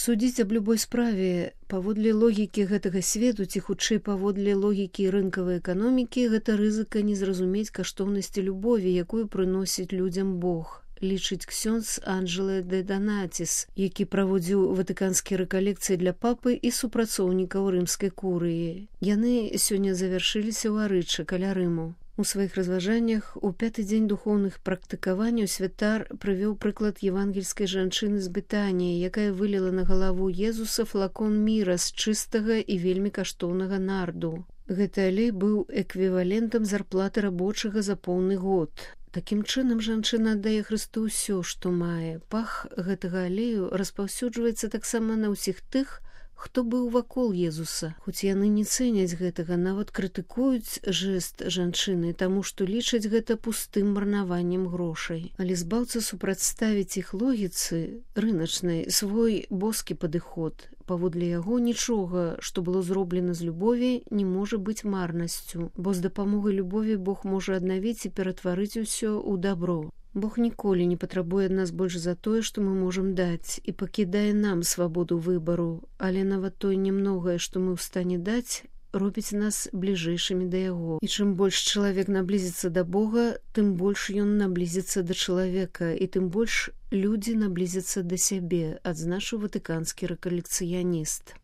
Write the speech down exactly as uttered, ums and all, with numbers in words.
Судзіць аб любой справе паводле логікі гэтага свету ці хутчэй паводле логікі рынкавай эканомікі гэта рызыка не зразумець каштоўнасці любові, якую прыносіць людзям Бог, лічыць ксёндз Анджело де Донатис, які праводзіў ватыканскія рэкалекцыі для папы і супрацоўнікаў рымскай курыі. Яны сёння завяршыліся ў Арычы каля Рыму. У сваіх разважаннях у пяты дзень духоўных практыкаванняў святар прывёў прыклад евангельскай жанчыны з Бетаніі, якая выліла на галаву Езуса флакон міра з чыстага і вельмі каштоўнага нарду. Гэты алей быў эквівалентам зарплаты рабочага за поўны год. Такім чынам жанчына аддае Хрысту ўсё, што мае. Пах гэтага алею распаўсюджваецца таксама на ўсіх тых, хто быў вакол Езуса. Хоць яны не цэняць гэтага, нават крытыкуюць жэст жанчыны, таму што лічаць гэта пустым марнаваннем грошай. Але збаўца супрацьставіць іх логіцы рыначнай свой боскі падыход. Паводле яго нічога, што было зроблена з любові, не можа быць марнасцю, бо з дапамогай любові Бог можа аднавіць і ператварыць усё ў дабро. Бог ніколі не патрабуе ад нас больш за тое, што мы можам даць, і пакідае нам свабоду выбару, але нават тое немногае, што мы ў стане даць, робіць нас бліжэйшымі да яго. І чым больш чалавек наблізіцца да Бога, тым больш ён наблізіцца да чалавека, і тым больш людзі наблізяцца да сябе, адзначыў ватыканскі рэкалекцыяніст.